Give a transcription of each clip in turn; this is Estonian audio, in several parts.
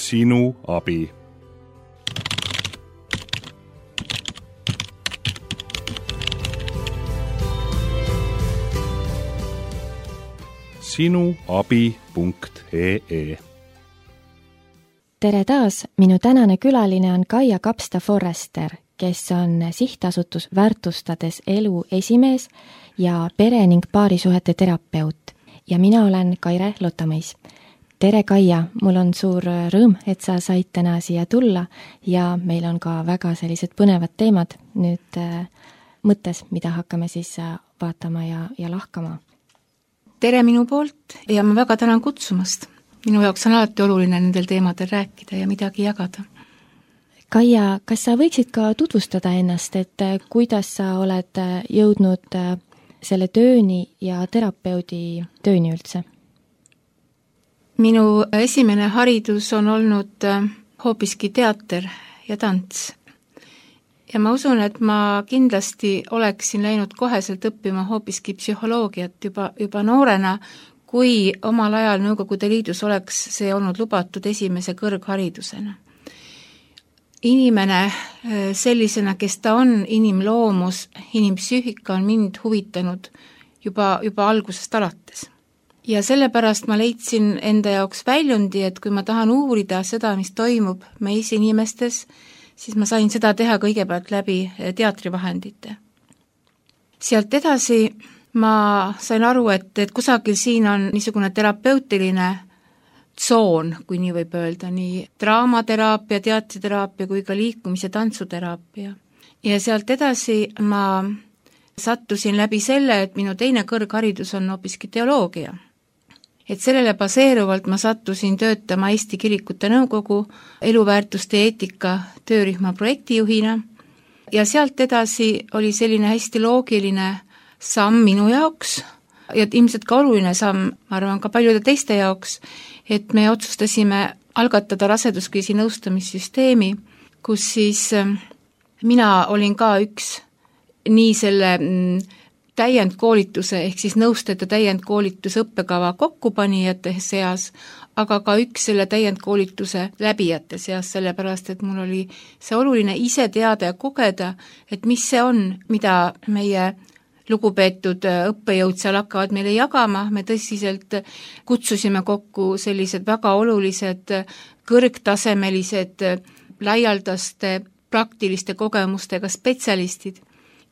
Sinu abi. sinuabi.ee. Tere taas, minu tänane külaline on Kaia Kapsta-Forrester, kes on sihtasutus Väärtustades elu esimees ja pere- ning paarisuhete terapeut. Ja mina olen Kaire Lotamõis. Tere Kaia, mul on suur rõõm, et sa said täna siia tulla ja meil on ka väga sellised põnevad teemad nüüd mõttes, mida hakkame siis vaatama ja lahkama. Tere minu poolt ja ma väga tänan kutsumast. Minu jaoks on alati oluline nendel teemadel rääkida ja midagi jagada. Kaia, kas sa võiksid ka tutvustada ennast, et kuidas sa oled jõudnud selle tööni ja terapeudi tööni üldse? Minu esimene haridus on olnud hoopiski teater ja tants. Ja ma usun, et ma kindlasti oleksin läinud koheselt õppima hoopiski psühholoogiat juba noorena, kui omal ajal Nõukogude Liidus oleks see olnud lubatud esimese kõrgharidusena. Inimene sellisena, kes ta on, inimloomus, inimpsüühika on mind huvitanud juba algusest alates. Ja sellepärast ma leidsin enda jaoks väljundi, et kui ma tahan uurida seda, mis toimub meis inimestes, siis ma sain seda teha kõigepealt läbi teatrivahendite. Sealt edasi ma sain aru, et kusagil siin on niisugune terapeutiline tsoon, kui nii võib öelda, nii draamateraapia, teatriteraapia kui ka liikumis- ja tantsuteraapia. Ja sealt edasi ma sattusin läbi selle, et minu teine kõrgharidus on hoopiski teoloogia. Et sellele baseeruvalt ma sattusin töötama Eesti Kirikute Nõukogu eluväärtuste eetika töörühma projektijuhina ja sealt edasi oli selline hästi loogiline samm minu jaoks ja ilmselt ka oluline samm, ma arvan ka paljude teiste jaoks, et me otsustasime algatada raseduskriisi nõustamissüsteemi, kus siis mina olin ka üks nii selle täiendkoolituse ehk siis nõustajate täiendkoolituse õppekava kokkupanijate seas, aga ka üks selle täiendkoolituse läbijate seas, sellepärast et mul oli see oluline ise teada ja kogeda, et mis see on, mida meie lugupeetud õppejõud seal hakkavad meile jagama, me tõsiselt kutsusime kokku sellised väga olulised kõrgtasemelised laialdaste praktiliste kogemustega spetsialistid.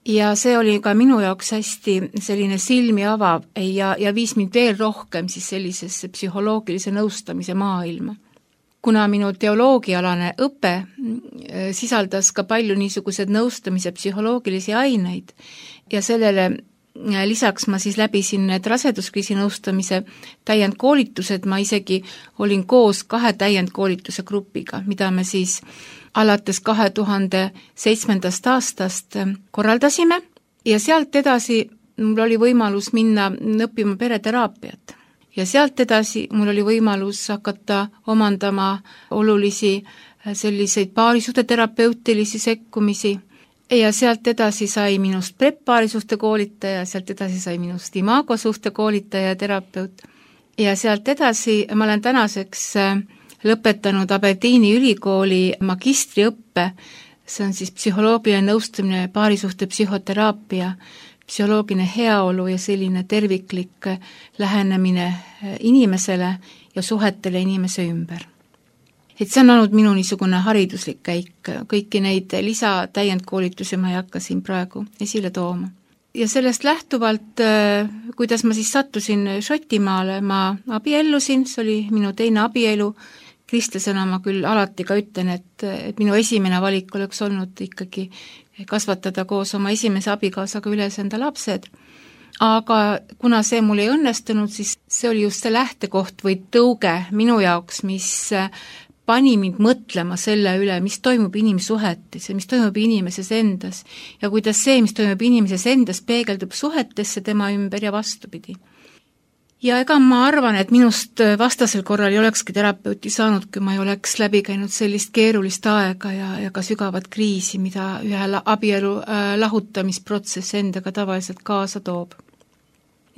Ja see oli ka minu jaoks hästi selline silmi avav ja viis mind veel rohkem siis sellisesse psühholoogilise nõustamise maailma. Kuna minu teoloogialane õpe sisaldas ka palju niisugused nõustamise psühholoogilisi aineid ja sellele lisaks ma siis läbisin need raseduskriisi nõustamise täiendkoolitused, ma isegi olin koos 2 täiendkoolituse grupiga, mida me siis alates 2007. aastast korraldasime ja sealt edasi mul oli võimalus minna õppima pereteraapiat. Ja sealt edasi mul oli võimalus hakata omandama olulisi selliseid paarisuhte terapeutilisi sekkumisi ja sealt edasi sai minust prep-paarisuhte koolitaja, sealt edasi sai minust imagosuhte koolitaja ja terapeut ja sealt edasi ma olen tänaseks lõpetanud Aberdeeni ülikooli magistriõppe, see on siis psühholoogiline nõustamine, paarisuhte psühhoteraapia, psühholoogiline heaolu ja selline terviklik lähenemine inimesele ja suhetele inimese ümber. Et see on olnud minu niisugune hariduslik käik, kõiki neid lisatäiendkoolitusi ma ei hakka siin praegu esile tooma. Ja sellest lähtuvalt, kuidas ma siis sattusin Šotimaale, ma abiellusin, see oli minu teine abielu, kristlasena ma küll alati ka ütlen, et minu esimene valik oleks olnud ikkagi kasvatada koos oma esimese abikaasaga üles enda lapsed. Aga kuna see mul ei õnnestunud, siis see oli just see lähtekoht või tõuge minu jaoks, mis pani mind mõtlema selle üle, mis toimub inimsuhetes ja mis toimub inimeses endas ja kuidas see, mis toimub inimeses endas, peegeldub suhetesse tema ümber ja vastupidi. Ja ega ma arvan, et minust vastasel korral ei olekski terapeuti saanud, kui ma ei oleks läbi käinud sellist keerulist aega ja ka sügavat kriisi, mida ühe abielu lahutamisprotsess endaga tavaliselt kaasa toob.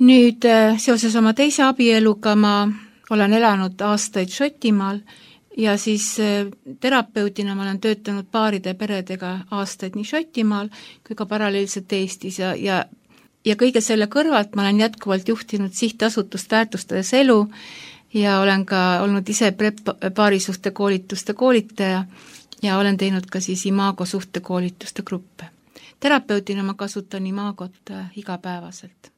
Nüüd seoses oma teise abieluga ma olen elanud aastaid Šotimaal ja siis terapeudina ma olen töötanud paaride peredega aastaid nii Šotimaal kui ka paralleelselt Eestis ja kõige selle kõrvalt ma olen jätkuvalt juhtinud sihtasutust Väärtustades elu ja olen ka olnud ise paarisuhte koolituste koolitaja ja olen teinud ka siis Imago suhtekoolituste gruppe. Terapeudina ma kasutan Imagot igapäevaselt.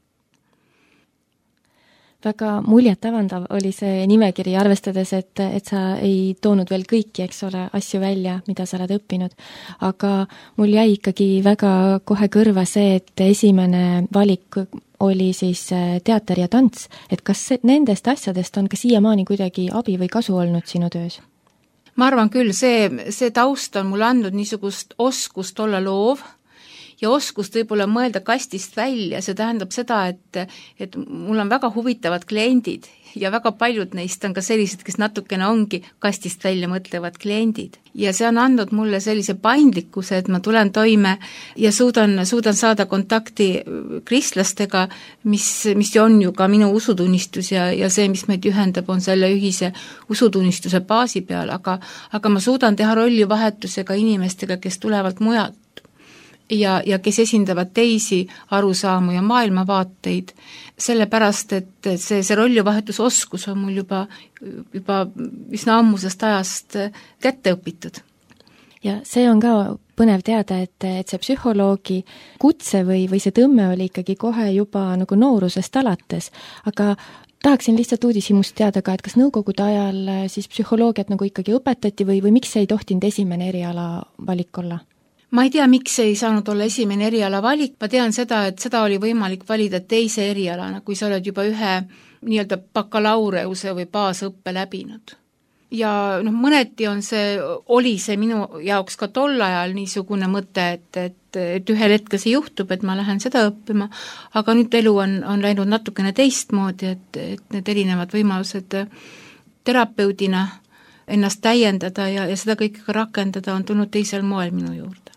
Väga muljetavandav oli see nimekiri, arvestades, et sa ei toonud veel kõiki, eks ole, asju välja, mida sa oled õppinud. Aga mul jäi ikkagi väga kohe kõrva see, et esimene valik oli siis teater ja tants. Et kas nendest asjadest on ka siiamaani kuidagi abi või kasu olnud sinu töös? Ma arvan küll, see taust on mulle andnud niisugust oskust olla loov, ja oskust võib-olla mõelda kastist välja, see tähendab seda, et mul on väga huvitavad kliendid ja väga paljud neist on ka sellised, kes natukene ongi kastist välja mõtlevad kliendid. Ja see on andnud mulle sellise paindlikkuse, et ma tulen toime ja suudan saada kontakti kristlastega, mis on ju ka minu usutunnistus ja see, mis meid ühendab, on selle ühise usutunnistuse baasi peal, aga ma suudan teha rollivahetusega inimestega, kes tulevad mujalt. Ja kes esindavad teisi arusaamu ja maailmavaateid, sellepärast, et see rollivahetusoskus on mul juba üsna ammusest ajast kätte õpitud. Ja see on ka põnev teada, et see psühholoogi kutse või see tõmme oli ikkagi kohe juba nagu noorusest alates, aga tahaksin lihtsalt uudishimust teada ka, et kas nõukogude ajal siis psühholoogiat nagu ikkagi õpetati või miks ei tohtinud esimene eriala valik olla? Ma ei tea, miks ei saanud olla esimene eriala valik, ma tean seda, et seda oli võimalik valida teise erialana, kui sa oled juba ühe nii-öelda bakalaureuse või baasõppe läbinud. Ja mõneti oli see minu jaoks ka tol ajal niisugune mõte, et ühel hetkel see juhtub, et ma lähen seda õppima, aga nüüd elu on läinud natukene teistmoodi, et need erinevad võimalused terapeudina ennast täiendada ja seda kõike ka rakendada on tulnud teisel moel minu juurde.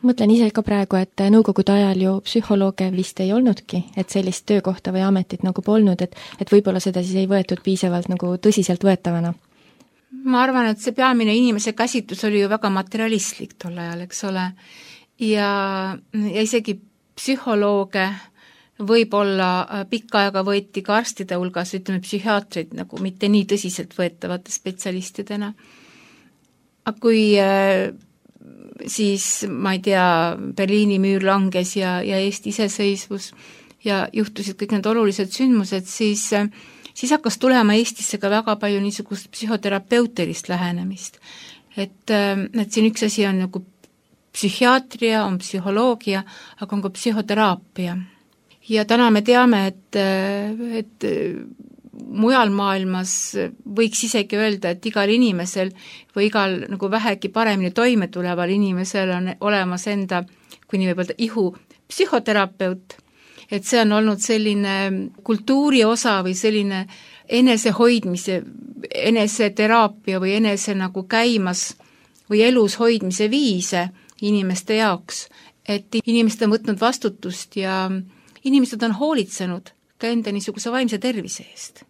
Mõtlen ise ka praegu, et nõukogude ajal ju psühholooge vist ei olnudki, et sellist töökohta või ametit nagu polnud, et võib-olla seda siis ei võetud piisavalt nagu tõsiselt võetavana. Ma arvan, et see peamine inimese käsitlus oli ju väga materialistlik tol ajal, eks ole, ja isegi psühholooge võib-olla pikka aega võeti ka arstide hulgas, ütleme psühhiaatrid nagu mitte nii tõsiselt võetavate spetsialistidena. Aga kui siis, ma ei tea, Berliini müür langes ja Eesti iseseisvus ja juhtusid kõik need olulised sündmused, siis hakkas tulema Eestisse ka väga palju niisugust psühhoterapeutilist lähenemist. Et siin üks asi on nagu psühhiaatria, on psühholoogia, aga on ka psühhoteraapia. Ja täna me teame, et mujal maailmas võiks isegi öelda, et igal inimesel või igal nagu vähegi paremini toime tuleval inimesel on olemas enda, kui nii võib öelda, ihu psühhoterapeut, et see on olnud selline kultuuri osa või selline enesehoidmise, eneseteraapia või enese nagu käimas või elus hoidmise viise inimeste jaoks, et inimesed on võtnud vastutust ja inimesed on hoolitsenud ka enda niisuguse vaimse tervise eest.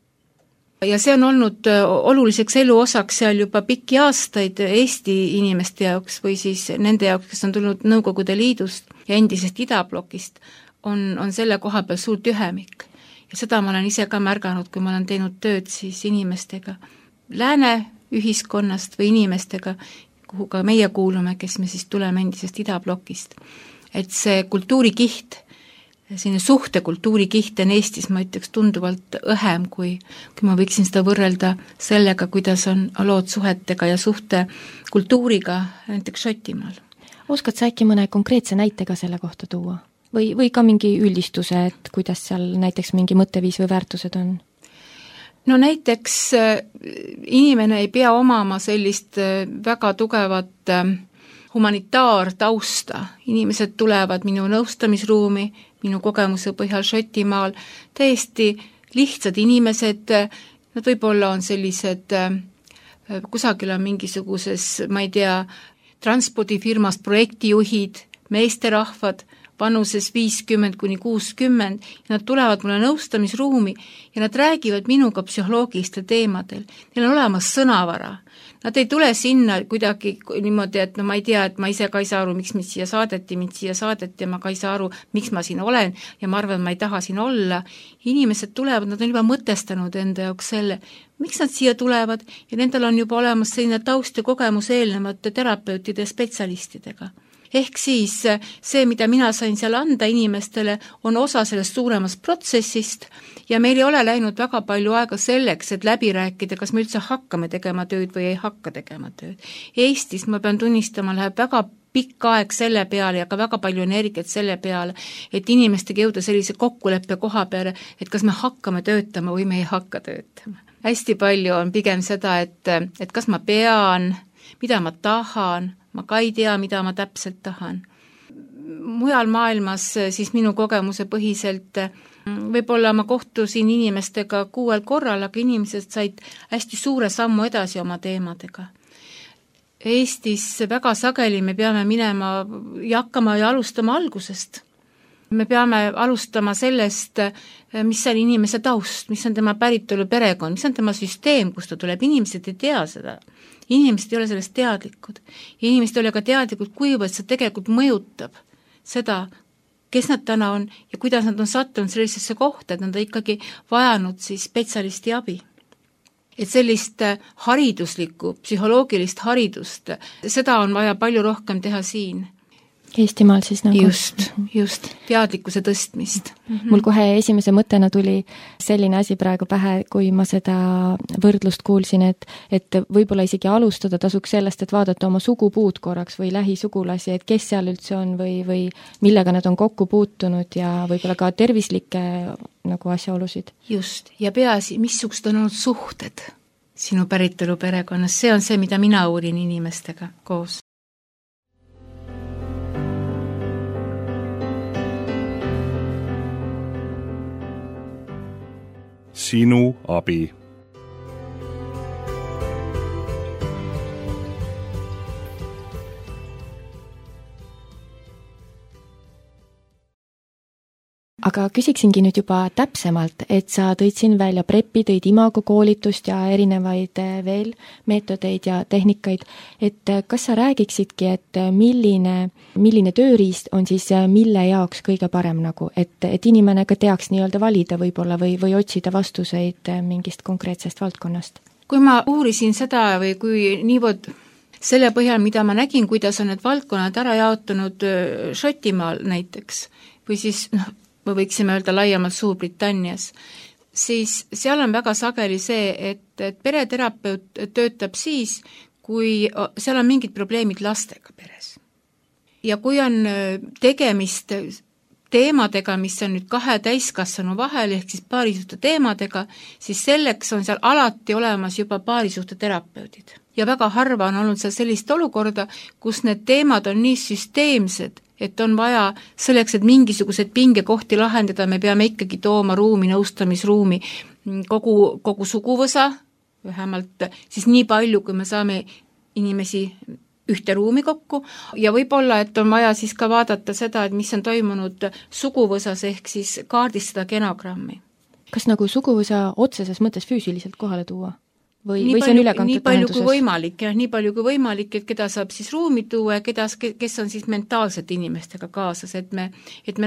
Ja see on olnud oluliseks elu osaks seal juba pikki aastaid Eesti inimeste jaoks või siis nende jaoks, kes on tulnud Nõukogude Liidust ja endisest idablokist, on selle koha peal suur tühemik. Ja seda ma olen ise ka märganud, kui ma olen teinud tööd siis inimestega lääne ühiskonnast või inimestega, kuhu ka meie kuulume, kes me siis tuleme endisest idablokist. Et see kultuurikiht, selline suhtekultuurikiht on Eestis, ma ütleks, tunduvalt õhem, kui ma võiksin seda võrrelda sellega, kuidas on lood suhetega ja suhtekultuuriga näiteks Šotimaal. Oskad sa äkki mõne konkreetse näitega selle kohta tuua? Või ka mingi üldistuse, et kuidas seal näiteks mingi mõtteviis või väärtused on? No näiteks inimene ei pea omama sellist väga tugevat humanitaartausta. Inimesed tulevad minu nõustamisruumi, minu kogemuse põhjal Šotimaal, täiesti lihtsad inimesed, nad võib-olla on sellised, kusagil on mingisuguses, ma ei tea, transpordifirmast projektijuhid, meesterahvad vanuses 50–60 ja nad tulevad mulle nõustamisruumi ja nad räägivad minuga psühholoogilistel teemadel. Neil on olemas sõnavara. Nad ei tule sinna kuidagi niimoodi, et no ma ei tea, et ma ise ka ei saa aru, miks mind siia saadeti ja ma ka ei saa aru, miks ma siin olen ja ma arvan, et ma ei taha siin olla. Inimesed tulevad, nad on juba mõtestanud enda jaoks selle, miks nad siia tulevad ja nendel on juba olemas selline taust ja kogemus eelnevate terapeutide ja spetsialistidega. Ehk siis see, mida mina sain seal anda inimestele, on osa sellest suuremast protsessist ja meil ei ole läinud väga palju aega selleks, et läbi rääkida, kas me üldse hakkame tegema tööd või ei hakka tegema tööd. Eestis, ma pean tunnistama, läheb väga pikk aeg selle peale ja ka väga palju energiat selle peale, et inimestega jõuda sellise kokkuleppe koha peale, et kas me hakkame töötama või me ei hakka töötama. Hästi palju on pigem seda, et kas ma pean, mida ma tahan, ma ka ei tea, mida ma täpselt tahan. Mujal maailmas siis minu kogemuse põhiselt võib-olla ma kohtusin inimestega 6 korral, aga inimesed said hästi suure sammu edasi oma teemadega. Eestis väga sageli me peame minema ja hakkama ja alustama algusest. Me peame alustama sellest, mis on inimese taust, mis on tema päritolu perekond, mis on tema süsteem, kust ta tuleb. Inimesed ei tea seda. Inimesed ei ole sellest teadlikud. Inimesed ei ole ka teadlikud, kuivõrd see tegelikult mõjutab seda, kes nad täna on ja kuidas nad on sattunud sellisesse kohta, et nad on ikkagi vajanud siis spetsialisti abi. Et sellist hariduslikku, psühholoogilist haridust, seda on vaja palju rohkem teha siin. Eestimaal siis nagu. Just, teadlikkuse tõstmist. Mul kohe esimese mõttena tuli selline asi praegu pähe, kui ma seda võrdlust kuulsin, et võib-olla isegi alustada tasuks sellest, et vaadata oma sugupuud korraks või lähisugulasi, et kes seal üldse on või millega nad on kokku puutunud ja võib-olla ka tervislikke nagu asjaolusid. Just, ja peaasi, missugused on olnud suhted sinu päritolu perekonnas, see on see, mida mina uurin inimestega koos. Sinu abi. Aga küsiksingi nüüd juba täpsemalt, et sa tõid siin välja prepi, tõid imago koolitust ja erinevaid veel meetodeid ja tehnikaid, et kas sa räägiksidki, et milline tööriist on siis mille jaoks kõige parem nagu, et inimene ka teaks nii-öelda valida võib-olla või otsida vastuseid mingist konkreetsest valdkonnast? Kui ma uurisin seda või kui niivõrd selle põhjal, mida ma nägin, kuidas on need valdkonnad ära jaotunud Šotimaal näiteks või siis me võiksime öelda laiemalt Suurbritannias, siis seal on väga sageli see, et pereterapeut töötab siis, kui seal on mingid probleemid lastega peres. Ja kui on tegemist teemadega, mis on nüüd 2 täiskasvanu vahel, ehk siis paarisuhte teemadega, siis selleks on seal alati olemas juba paarisuhte terapeudid. Ja väga harva on olnud seal sellist olukorda, kus need teemad on nii süsteemsed, et on vaja selleks, et mingisugused pingekohti lahendada, me peame ikkagi tooma ruumi, nõustamisruumi kogu suguvõsa, vähemalt siis nii palju, kui me saame inimesi ühte ruumi kokku ja võib-olla, et on vaja siis ka vaadata seda, et mis on toimunud suguvõsas ehk siis kaardistada genogrammi. Kas nagu suguvõsa otseses mõttes füüsiliselt kohale tuua? Või see on ülekantud tähenduses? Nii palju kui võimalik, et keda saab siis ruumi tuua ja kes on siis mentaalselt inimestega kaasas, et me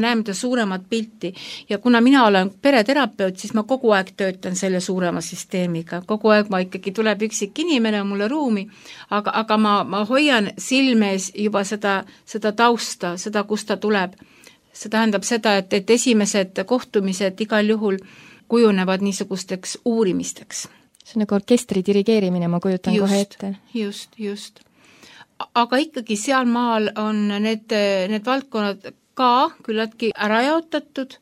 näeme ta suuremat pilti. Ja kuna mina olen pereterapeut, siis ma kogu aeg töötan selle suurema süsteemiga. Kogu aeg ma ikkagi tuleb üksik inimene mulle ruumi, aga ma hoian silmes juba seda tausta, seda, kust ta tuleb. See tähendab seda, et esimesed kohtumised igal juhul kujunevad niisugusteks uurimisteks. See on nagu orkestri dirigeerimine, ma kujutan kohe ette. Just. Aga ikkagi seal maal on need valdkonnad ka küllaltki ära jaotatud,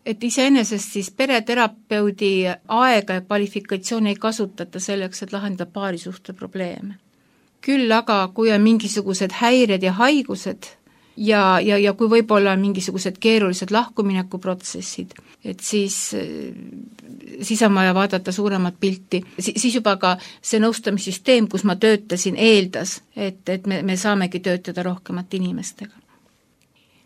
et iseenesest siis pereterapeudi aega ja kvalifikatsiooni ei kasutata selleks, et lahendada paarisuhte probleeme. Küll aga, kui on mingisugused häired ja haigused ja kui võib-olla mingisugused keerulised lahkuminekuprotsessid, et siis on vaja vaadata suuremat pilti. Siis juba ka see nõustamissüsteem, kus ma töötasin, eeldas, et me saamegi töötada rohkemat inimestega.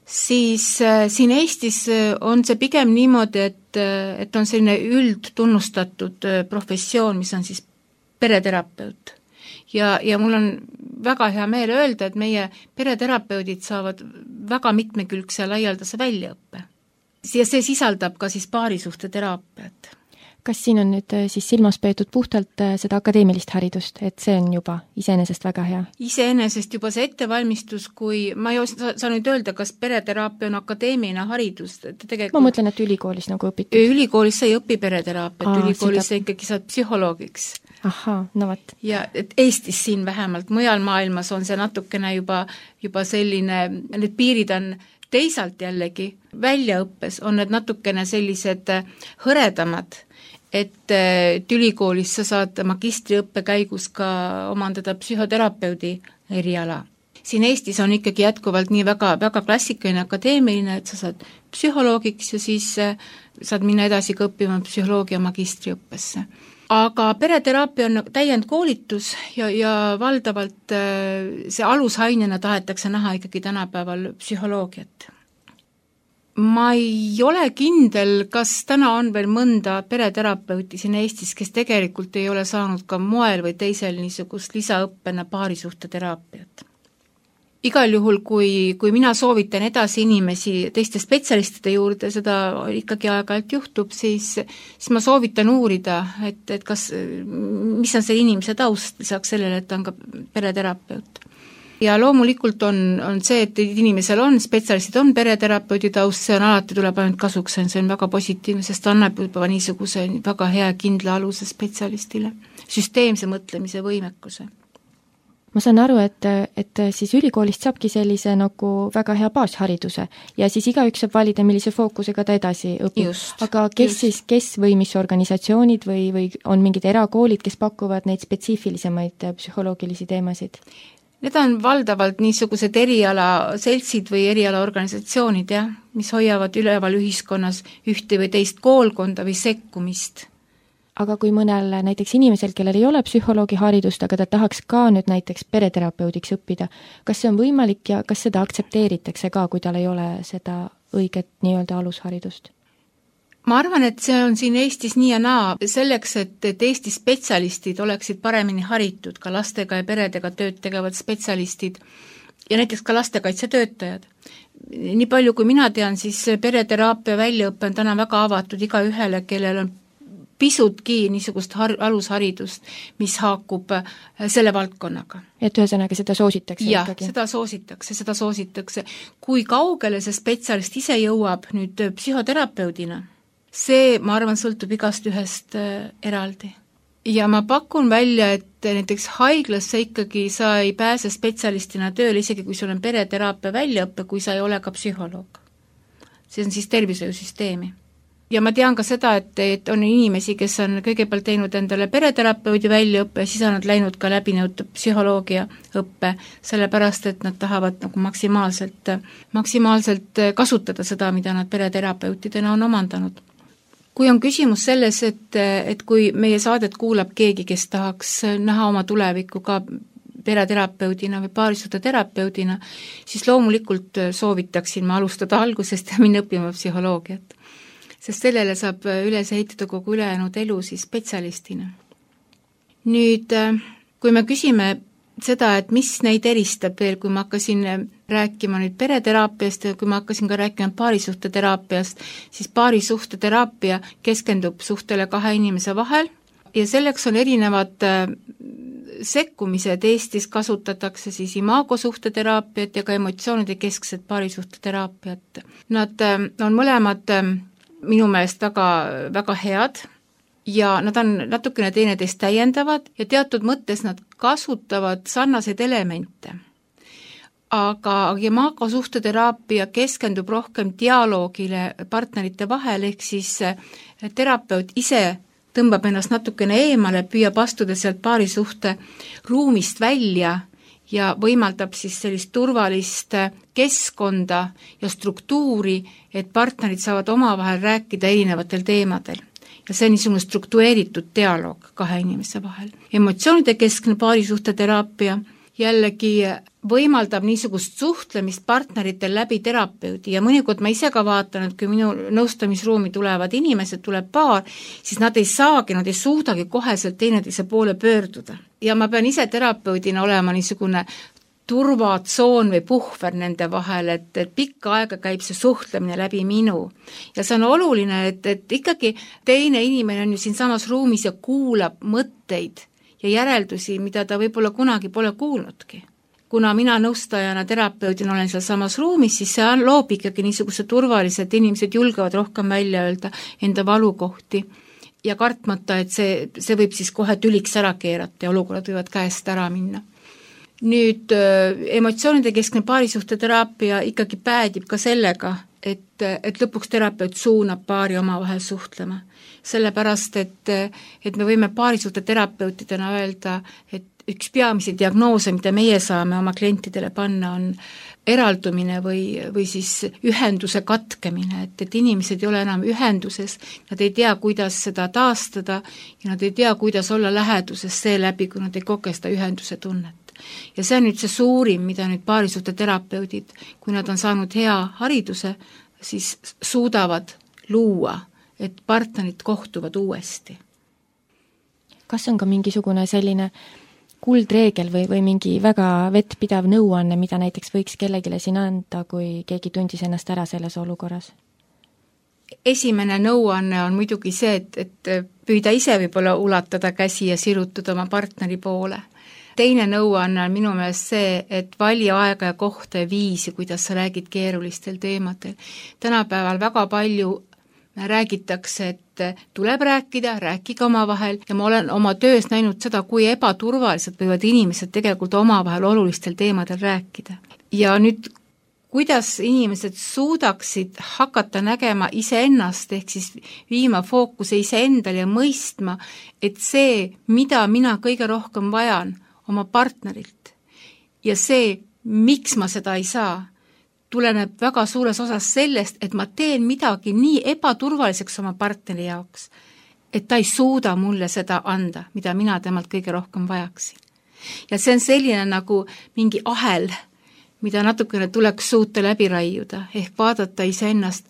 siis siin Eestis on see pigem niimoodi, et on selline üldtunnustatud professioon, mis on siis pereterapeut. Ja mul on väga hea meel öelda, et meie pereterapeudid saavad väga mitmekülgse ja laialdase väljaõppe. Ja see sisaldab ka siis paarisuhteteraapiat. Kas siin on nüüd siis silmas peetud puhtalt seda akadeemilist haridust, et see on juba iseenesest väga hea? Iseenesest juba see ettevalmistus, kui ma ei saa nüüd öelda, kas pereteraapia on akadeemiline haridus. Ma mõtlen, et ülikoolis nagu õpitud. Ülikoolis sa ei õpi pereteraapiat, ülikoolis sa ikkagi saad psühholoogiks. Ahaa, no võt. Ja et Eestis siin vähemalt, mujal maailmas on see natukene juba selline, need piirid on teisalt jällegi, väljaõppes on need natukene sellised hõredamad, et ülikoolis sa saad magistriõppe käigus ka omandada psühhoterapeudi eriala. Siin Eestis on ikkagi jätkuvalt nii väga, väga klassikaline akadeemiline, et sa saad psühholoogiks ja siis saad minna edasi ka õppima psühholoogia magistriõppesse. Aga pereteraapia on täiendkoolitus ja valdavalt see alusainena tahetakse näha ikkagi tänapäeval psühholoogiat. Ma ei ole kindel, kas täna on veel mõnda pereterapeuti siin Eestis, kes tegelikult ei ole saanud ka moel või teisel niisugust lisaõppena paarisuhteteraapiat. Igal juhul, kui mina soovitan edasi inimesi teiste spetsialistide juurde, seda ikkagi aeg-ajalt juhtub, siis ma soovitan uurida, et kas, mis on see inimese taust, lisaks sellele, et ta on ka pereterapeut. Ja loomulikult on see, et inimesel on, spetsialistid on pereterapeudi taust, see on alati tuleb ainult kasuks, see on väga positiivne, sest annab juba niisuguse väga hea kindla aluse spetsialistile, süsteemse mõtlemise võimekuse. Ma saan aru, et siis ülikoolist saabki sellise nagu väga hea baashariduse ja siis igaüks saab valida, millise fookusega ta edasi õpib. Aga kes või mis organisatsioonid või on mingid erakoolid, kes pakuvad neid spetsiifilisemaid psühholoogilisi teemasid? Need on valdavalt niisugused erialaseltsid või erialaorganisatsioonid, mis hoiavad üleval ühiskonnas ühte või teist koolkonda või sekkumist. Aga kui mõnel näiteks inimesel, kellel ei ole psühholoogi haridust, aga ta tahaks ka nüüd näiteks pereterapeudiks õppida, kas see on võimalik ja kas seda aktsepteeritakse ka, kui tal ei ole seda õiget nii-öelda alusharidust? Ma arvan, et see on siin Eestis nii ja naa selleks, et Eesti spetsialistid oleksid paremini haritud, ka lastega ja peredega tööd tegevad spetsialistid ja näiteks ka lastekaitsetöötajad. Nii palju, kui mina tean, siis pereteraapia väljaõppe on täna väga avatud iga ühele, kellel on pisutki niisugust alusharidust, mis haakub selle valdkonnaga. Et ühesõnaga seda soositakse ikkagi? Seda soositakse. Kui kaugele see spetsialist ise jõuab nüüd psühhoterapeudina, see, ma arvan, sõltub igast ühest eraldi. Ja ma pakun välja, et näiteks haiglasse ikkagi sa ei pääse spetsialistina tööle, isegi kui sul on pereteraapia väljaõppe, kui sa ei ole ka psühholoog. See on siis tervishoiusüsteemi. Ja ma tean ka seda, et on inimesi, kes on kõigepealt teinud endale pereterapeudi väljaõppe ja siis on nad läinud ka läbinud psühholoogia õppe, sellepärast, et nad tahavad nagu maksimaalselt kasutada seda, mida nad pereterapeutidena on omandanud. Kui on küsimus selles, et kui meie saadet kuulab keegi, kes tahaks näha oma tulevikku ka pereterapeudina või paarisuhteterapeudina, siis loomulikult soovitaksin ma alustada algusest ja minna õppima psühholoogiat. Sest sellele saab üles ehitada kogu ülejäänud elu siis spetsialistina. Nüüd, kui me küsime seda, et mis neid eristab veel, kui ma hakkasin rääkima nüüd pereteraapiast ja kui ma hakkasin ka rääkima paarisuhteteraapiast, siis paarisuhteteraapia keskendub suhtele kahe inimese vahel ja selleks on erinevad sekkumised. Eestis kasutatakse siis imagosuhteteraapiat ja ka emotsioonide keskset paarisuhteteraapiat. Nad on mõlemad minu meelest väga, väga head ja nad on natukene teineteist täiendavad ja teatud mõttes nad kasutavad sarnaseid elemente. Aga imagosuhteteraapia keskendub rohkem dialoogile partnerite vahel, ehk siis terapeut ise tõmbab ennast natukene eemale, püüab astuda sealt paarisuhte ruumist välja ja võimaldab siis sellist turvalist keskkonda ja struktuuri, et partnerid saavad omavahel rääkida erinevatel teemadel. Ja see on niisugune struktureeritud dialoog kahe inimese vahel. Emotsioonide keskne paarisuhteteraapia jällegi võimaldab niisugust suhtlemist partneritel läbi terapeudi ja mõnikord ma ise ka vaatan, et kui minu nõustamisruumi tulevad inimesed, tuleb paar, siis nad ei suudagi koheselt teineteise poole pöörduda. Ja ma pean ise terapeudina olema niisugune turvatsoon või puhver nende vahel, et pikka aega käib see suhtlemine läbi minu. Ja see on oluline, et ikkagi teine inimene on ju siin samas ruumis ja kuulab mõtteid ja järeldusi, mida ta võib-olla kunagi pole kuulnudki. Kuna mina nõustajana, terapeudina olen seal samas ruumis, siis see loob ikkagi niisuguse turvalised, inimesed julgevad rohkem välja öelda enda valukohti ja kartmata, et see võib siis kohe tüliks ära keerata ja olukorrad võivad käest ära minna. Nüüd emotsioonide keskne paarisuhteteraapia ikkagi päädib ka sellega, et lõpuks terapeut suunab paari omavahel suhtlema. Sellepärast, et me võime paarisuhteterapeutidena öelda, et üks peamisi diagnoose, mida meie saame oma klientidele panna, on eraldumine või siis ühenduse katkemine, et inimesed ei ole enam ühenduses, nad ei tea, kuidas seda taastada ja nad ei tea, kuidas olla läheduses seeläbi, kui nad ei koge seda ühenduse tunnet. Ja see on nüüd see suurim, mida nüüd paarisuhteterapeudid, kui nad on saanud hea hariduse, siis suudavad luua, et partnerid kohtuvad uuesti. Kas on ka mingisugune selline kuldreegel või mingi väga vettpidav nõuanne, mida näiteks võiks kellegile siin anda, kui keegi tundis ennast ära selles olukorras? Esimene nõuanne on muidugi see, et püüda ise võib-olla ulatada käsi ja sirutada oma partneri poole. Teine nõuanne on minu meelest see, et vali aega ja kohta ja viisi, kuidas sa räägid keerulistel teemadel. Tänapäeval väga palju räägitakse, et tuleb rääkida, rääkige omavahel ja ma olen oma töös näinud seda, kui ebaturvaliselt võivad inimesed tegelikult omavahel olulistel teemadel rääkida. Ja nüüd, kuidas inimesed suudaksid hakata nägema iseennast, ehk siis viima fookuse iseendale ja mõistma, et see, mida mina kõige rohkem vajan oma partnerilt ja see, miks ma seda ei saa, tuleneb väga suures osas sellest, et ma teen midagi nii ebaturvaliseks oma partneri jaoks, et ta ei suuda mulle seda anda, mida mina temalt kõige rohkem vajaksin. Ja see on selline nagu mingi ahel, mida natukene tuleks suuta läbi raiuda, ehk vaadata iseennast,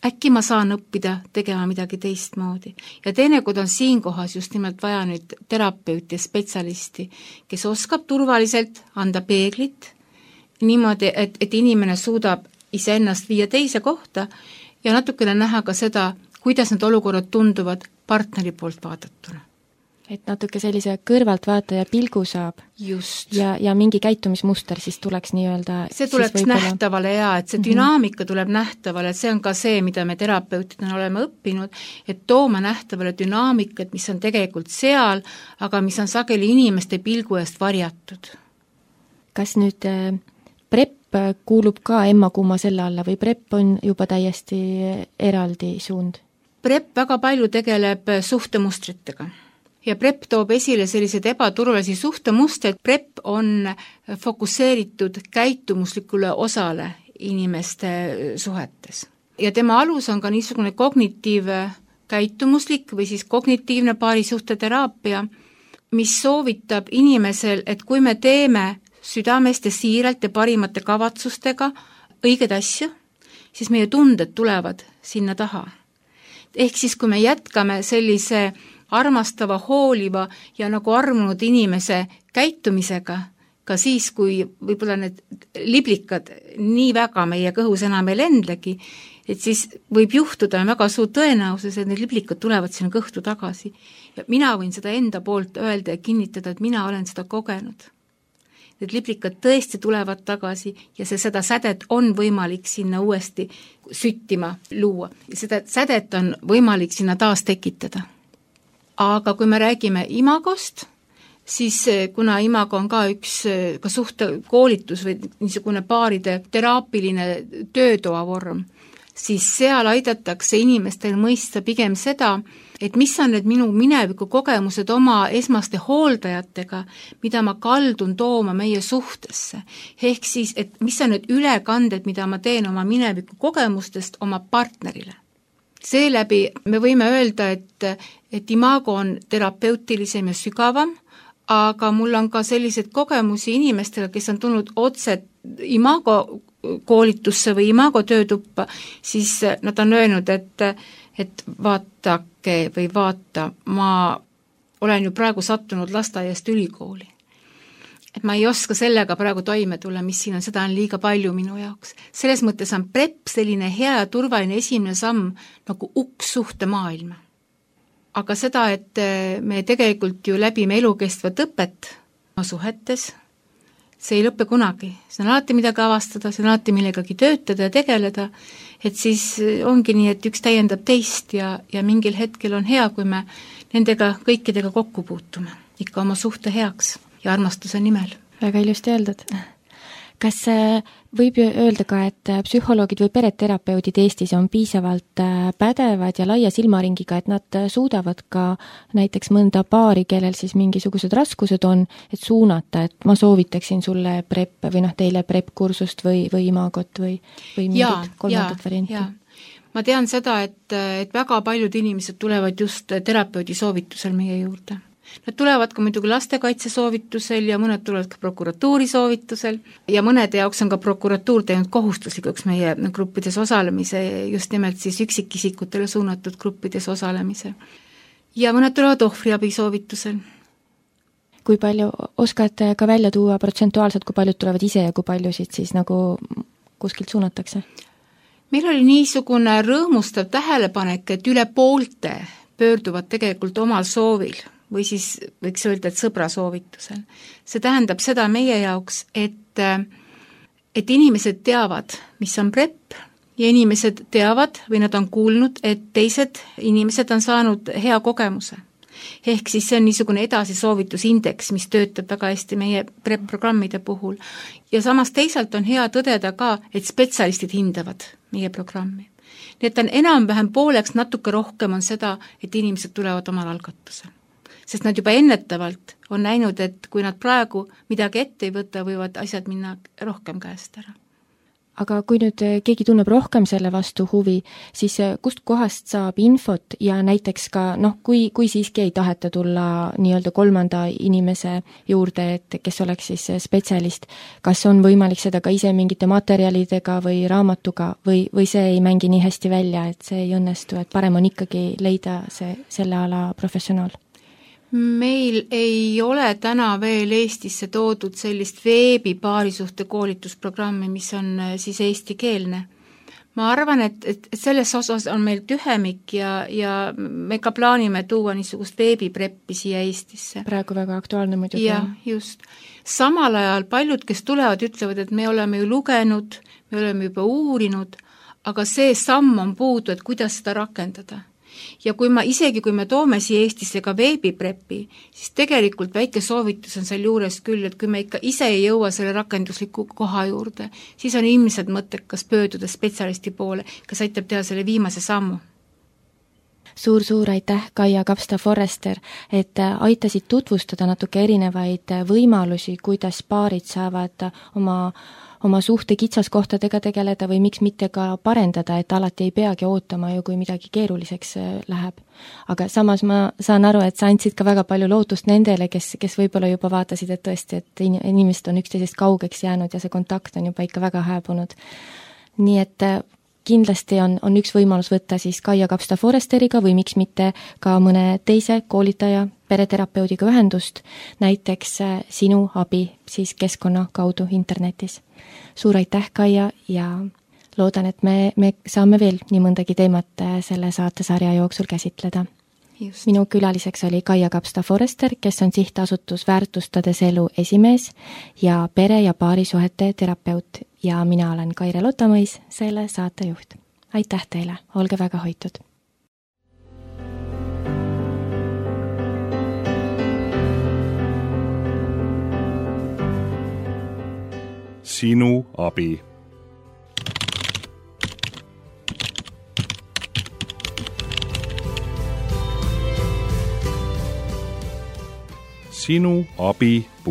äkki ma saan õppida tegema midagi teistmoodi. Ja teinekord on siinkohas just nimelt vaja nüüd terapeuti ja spetsialisti, kes oskab turvaliselt anda peeglit, niimoodi, et inimene suudab iseennast viia teise kohta ja natukene näha ka seda, kuidas need olukorrad tunduvad partneri poolt vaadatuna. Et natuke sellise kõrvaltvaataja pilgu saab. Just. Ja mingi käitumismuster siis tuleks nii-öelda... See tuleks nähtavale et see dünaamika tuleb nähtavale, et see on ka see, mida me terapeutidena oleme õppinud, et tooma nähtavale dünaamikat, mis on tegelikult seal, aga mis on sageli inimeste pilgu eest varjatud. Kas nüüd PrEP kuulub ka emmakumma selle alla või PrEP on juba täiesti eraldi suund? PrEP väga palju tegeleb suhtemustritega. Ja PrEP toob esile sellised ebaturvalisi suhtemustrid. PrEP on fokusseeritud käitumuslikule osale inimeste suhetes. Ja tema alus on ka niisugune kognitiivkäitumuslik või siis kognitiivne paarisuhteteraapia, mis soovitab inimesel, et kui me teeme südamest ja siiralt ja parimate kavatsustega õiged asju, siis meie tunded tulevad sinna taha. Ehk siis, kui me jätkame sellise armastava, hooliva ja nagu armunud inimese käitumisega, ka siis, kui võib-olla need liblikad nii väga meie kõhus enam ei lendlegi, et siis võib juhtuda väga suur tõenäosus, et need liblikad tulevad sinna kõhtu tagasi. Ja mina võin seda enda poolt öelda ja kinnitada, et mina olen seda kogenud. Need liblikad tõesti tulevad tagasi ja seda sädet on võimalik sinna uuesti süttima luua. Ja seda sädet on võimalik sinna taas tekitada. Aga kui me räägime imagost, siis kuna imago on ka üks ka suhtekoolitus või niisugune paaride teraapiline töötoa vorm, siis seal aidatakse inimestel mõista pigem seda, et mis on need minu mineviku kogemused oma esmaste hooldajatega, mida ma kaldun tooma meie suhtesse. Ehk siis, et mis on need ülekanded, mida ma teen oma mineviku kogemustest oma partnerile. Seeläbi me võime öelda, et imago on terapeutilisem ja sügavam, aga mul on ka selliseid kogemusi inimestele, kes on tulnud otse Imago koolitusse või Imago töötuppa, siis nad on öelnud, et vaatake või vaata, ma olen ju praegu sattunud lasteaiast ülikooli. Et ma ei oska sellega praegu toime tulla, mis siin on, seda on liiga palju minu jaoks. Selles mõttes on PrEP selline hea ja turvaline esimene samm nagu uks suhtemaailma. Aga seda, et me tegelikult ju läbime elukestvat õpet oma suhetes, see ei lõppe kunagi. See on alati midagi avastada, see on alati millegagi töötada ja tegeleda, et siis ongi nii, et üks täiendab teist ja mingil hetkel on hea, kui me nendega kõikidega kokku puutume, ikka oma suhte heaks ja armastuse nimel. Väga ilusti öeldud. Kas võib ju öelda ka, et psühholoogid või pereterapeudid Eestis on piisavalt pädevad ja laia silmaringiga, et nad suudavad ka näiteks mõnda paari, kellel siis mingisugused raskused on, et suunata, et ma soovitaksin sulle PrEP või teile PrEP-kursust või Imagot või mingit kolmandat varianti? Ma tean seda, et väga paljud inimesed tulevad just terapeudi soovitusel meie juurde. Nad tulevad ka muidugi lastekaitse soovitusel ja mõned tulevad ka prokuratuuri soovitusel ja mõnede jaoks on ka prokuratuur teinud kohustuslikuks meie gruppides osalemise, just nimelt siis üksikisikutele suunatud gruppides osalemise. Ja mõned tulevad ohvriabi soovitusel. Kui palju oskad ka välja tuua protsentuaalselt, kui paljud tulevad ise ja kui paljusid siis nagu kuskilt suunatakse? Meil oli niisugune rõõmustav tähelepanek, et üle poolte pöörduvad tegelikult omal soovil või siis võiks öelda, et sõbra soovitusel. See tähendab seda meie jaoks, et inimesed teavad, mis on PrEP ja inimesed teavad või nad on kuulnud, et teised inimesed on saanud hea kogemuse. Ehk siis see on niisugune edasisoovitusindeks, mis töötab väga hästi meie PrEP-programmide puhul. Ja samas teisalt on hea tõdeda ka, et spetsialistid hindavad meie programmi. Nii et on enam-vähem pooleks, natuke rohkem on seda, et inimesed tulevad omal algatusel. Sest nad juba ennetavalt on näinud, et kui nad praegu midagi ette ei võta, võivad asjad minna rohkem käest ära. Aga kui nüüd keegi tunneb rohkem selle vastu huvi, siis kust kohast saab infot ja näiteks ka, kui siiski ei taheta tulla nii-öelda kolmanda inimese juurde, et kes oleks siis spetsialist, kas on võimalik seda ka ise mingite materjalidega või raamatuga või see ei mängi nii hästi välja, et see ei õnnestu, et parem on ikkagi leida selle ala professionaal? Meil ei ole täna veel Eestisse toodud sellist veebipaarisuhte koolitusprogrammi, mis on siis eestikeelne. Ma arvan, et selles osas on meil tühemik ja me ka plaanime tuua niisugust veebipreppi siia Eestisse. Praegu väga aktuaalne muidugi. Ja, just. Samal ajal paljud, kes tulevad, ütlevad, et me oleme ju lugenud, me oleme juba uurinud, aga see samm on puudu, et kuidas seda rakendada. Ja kui me toome siia Eestisse ka veebipreppi, siis tegelikult väike soovitus on seal juures küll, et kui me ikka ise ei jõua selle rakendusliku koha juurde, siis on ilmselt mõttekas pöörduda spetsialisti poole, kes aitab teha selle viimase sammu. Suur aitäh, Kaia Kapsta-Forrester, et aitasid tutvustada natuke erinevaid võimalusi, kuidas paarid saavad oma suhte kitsaskohtadega tegeleda või miks mitte ka parendada, et alati ei peagi ootama ju, kui midagi keeruliseks läheb. Aga samas ma saan aru, et sa andsid ka väga palju lootust nendele, kes võib-olla juba vaatasid, et tõesti, et inimesed on üksteisest kaugeks jäänud ja see kontakt on juba ikka väga hääbunud. Nii et kindlasti on üks võimalus võtta siis Kaia Kapsta-Forresteriga või miks mitte ka mõne teise koolitaja, pereterapeudiga ühendust, näiteks sinu abi siis keskkonna kaudu internetis. Suur aitäh, Kaia, ja loodan, et me saame veel nii mõndagi teemat selle saatesarja jooksul käsitleda. Just. Minu külaliseks oli Kaia Kapsta-Forrester, kes on sihtasutus Väärtustades elu esimees ja pere- ja paarisuhete terapeut ja mina olen Kaire Lotamõis, selle saatejuht. Aitäh teile, olge väga hoitud! Sinu abi. sinuabi.ee